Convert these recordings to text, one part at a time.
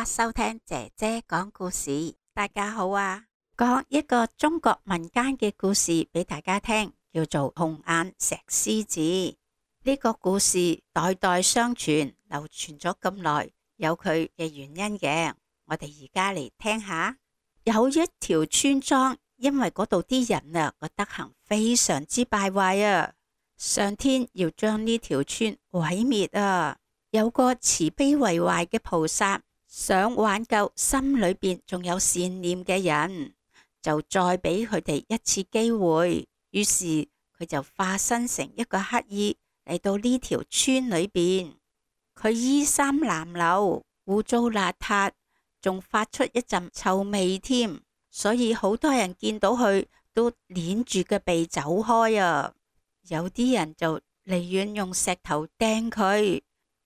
家收聽姐姐講故事。大家好啊，講一個中國民間嘅故事俾大家聽，叫做紅眼石獅子。呢個故事代代相傳，流傳咗咁耐，有佢嘅原因嘅。我哋而家嚟聽下。有一條村莊，因為嗰度啲人啊個德行非常之敗壞啊，上天要將呢條村毀滅啊。有個慈悲為懷嘅菩薩，想挽救心裏邊仲有善念嘅人，就再俾佢哋一次機會。於是佢就化身成一個乞兒嚟到呢條村裏邊。佢衣衫襤褸，污糟邋遢，仲發出一陣臭味添，所以好多人見到佢都捏住個鼻走開啊。有啲人就離遠用石頭掟佢。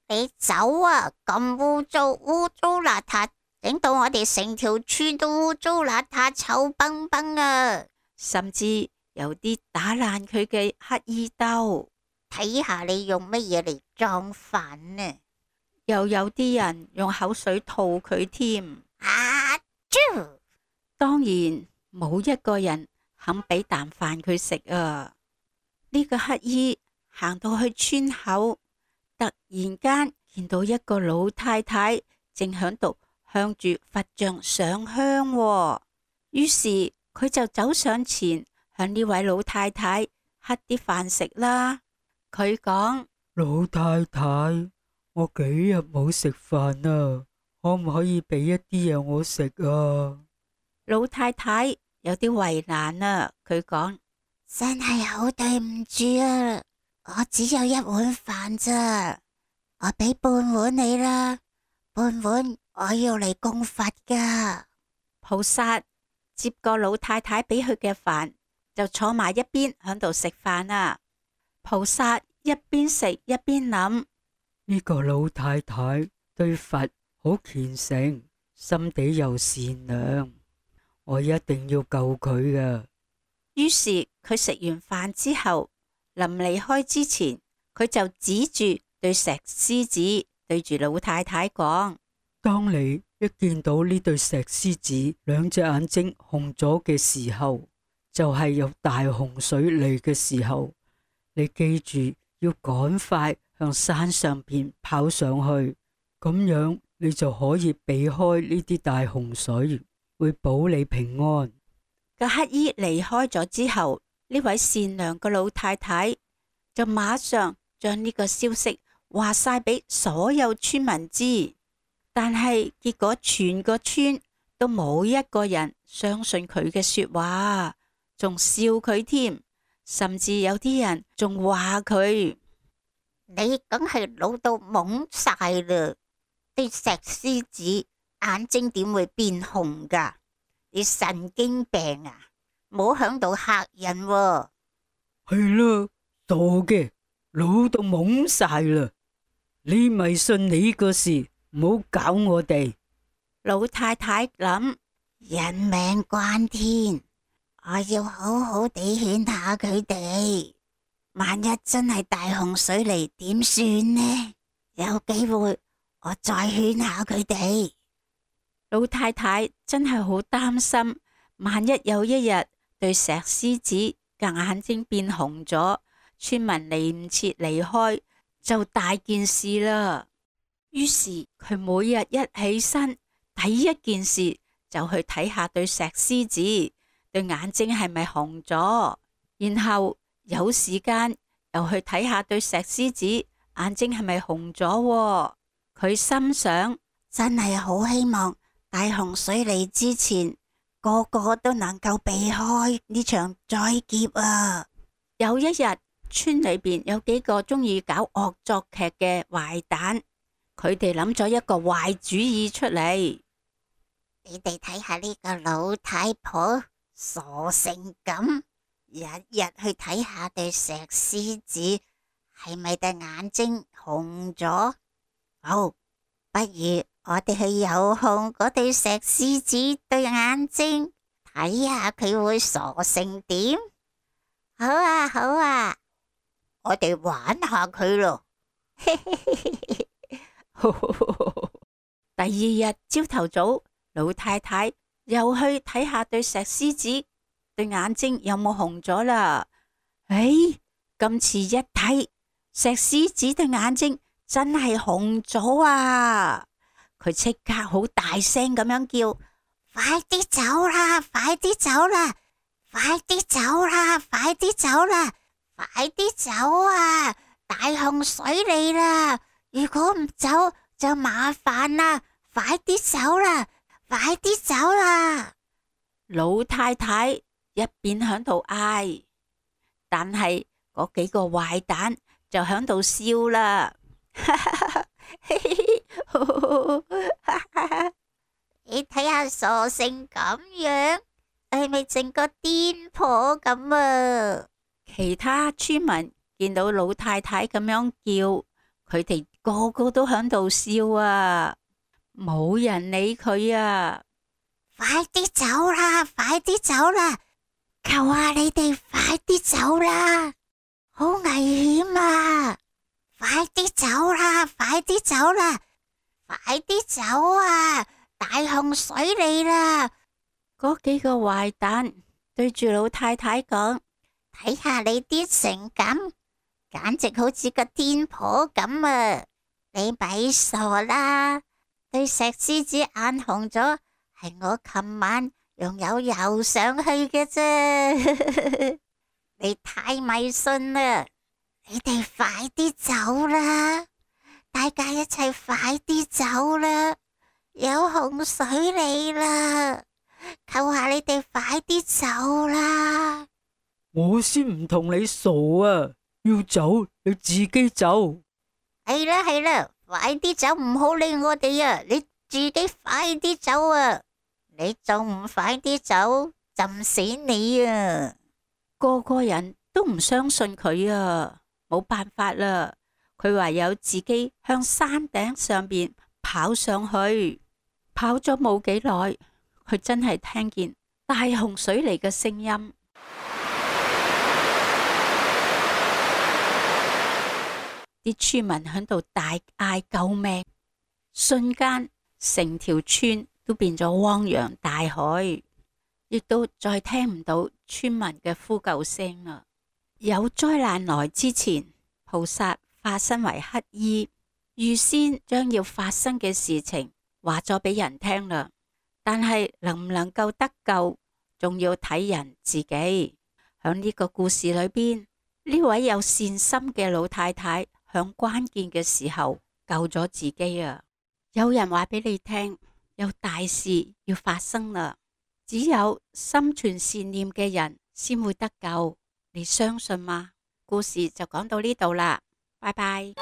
你走啊！咁污糟邋遢，整到我哋成條村都污糟邋遢、臭崩崩啊！甚至有啲打爛佢嘅乞衣兜，睇下你用乜嘢嚟裝飯呢？又有啲人用口水吐佢添。啊！啾！當然冇一個人肯俾啖飯佢食啊！呢個乞衣行到去村口，突然間見到一個老太太正響度向住佛像上香喎，於是佢就走上前向呢位老太太乞啲飯食啦。佢講：老太太，我幾日冇食飯啊，可唔可以俾一啲嘢我食啊？老太太有啲為難啊，佢講：真係好對唔住啊！我只有一碗飯咋，我俾半碗你啦，半碗我要嚟供佛噶。菩薩接過老太太俾佢嘅飯，就坐埋一邊響度食飯啊。菩薩一邊食一邊諗：呢個老太太對佛好虔誠，心地又善良，我一定要救佢噶。於是佢食完飯之後，臨離開之前，佢就指住對石獅子，對住老太太講：當你一見到呢對石獅子兩隻眼睛紅咗嘅時候，就係有大洪水嚟嘅時候，你記住要趕快向山上邊跑上去，咁樣你就可以避開呢啲大洪水，會保你平安。個乞衣離開咗之後，呢位善良嘅老太太就馬上將呢個消息話晒俾所有村民知，但係結果全個村都冇一個人相信佢嘅說話，仲笑佢添，甚至有啲人仲話佢：你梗係老到懵晒啦！啲石獅子眼睛點會變紅噶？你神經病啊！冇響度嚇人喎。係啦，傻嘅，老到懵晒啦！你咪信你個事，唔好搞我哋。老太太諗：人命關天，我要好好地勸下佢哋。萬一真係大洪水嚟，點算呢？有機會我再勸下佢哋。老太太真係好擔心，萬一有一日對石獅子嘅眼睛變紅咗，村民嚟唔切離開，就大件事啦。於是佢每日一起身，第一件事就去睇下對石獅子對眼睛係咪紅咗，然後有時間又去睇下對石獅子眼睛係咪紅咗。佢心想：真係好希望大洪水嚟之前，個個都能夠避開呢場災劫啊！有一日，村裏邊有幾個中意搞惡作劇嘅壞蛋，佢哋諗咗一個壞主意出嚟。你哋睇下呢個老太婆傻成咁，日日去睇下對石獅子係咪對眼睛紅咗。好，不如我哋去遙控嗰對石獅子對眼睛，睇下佢會傻成點。好啊，好啊，我哋玩下佢咯。第二日朝頭早，老太太又去睇下對石獅子對眼睛有冇紅咗啦。今次一睇，石獅子對眼睛真係紅咗啊！佢即刻好大聲咁樣叫：快啲走啦！快啲走啦！快啲走啦！快啲走啦！快啲走啊！大洪水嚟啦！如果唔走就麻煩啦！快啲走啦！快啲走啦！老太太一邊響度嗌，但係嗰幾個壞蛋就響度笑啦。你睇下傻成咁樣，係咪整個癲婆咁啊？其他村民見到老太太咁樣叫，佢哋個個都響度笑啊，冇人理佢啊！快啲走啦！快啲走啦！求下你哋快啲走啦！好危險啊！快啲走啦！快啲走啦！快啲走啊！大洪水嚟啦！嗰幾個壞蛋對住老太太講：睇下你啲成咁，簡直好似個癲婆咁啊！你咪傻啦！對石獅子眼紅咗，係我琴晚用油游上去嘅啫。你太迷信啦！你哋快啲走啦！大家一齊快啲走啦！有洪水嚟啦！求下你哋快啲走啦！我先唔同你傻啊！要走你自己走。係啦係啦，快啲走，唔好理我哋啊！你自己快啲走啊！你仲唔快啲走，浸死你啊！個個人都唔相信佢啊，冇辦法啦，佢唯有自己向山頂上邊跑上去。跑咗冇幾耐，佢真係聽見大洪水嚟嘅聲音。啲村民喺度大嗌救命，瞬間成條村都變咗汪洋大海，亦都再聽唔到村民嘅呼救聲啦。有災難來之前，菩薩化身為乞衣，預先將要發生嘅事情話咗俾人聽啦。但係能唔能夠得救，仲要睇人自己。響呢個故事裏邊，呢位有善心嘅老太太響關鍵嘅時候救咗自己啊！有人話俾你聽，有大事要發生啦，只有心存善念嘅人先會得救，你相信嗎？故事就講到呢度啦，拜拜。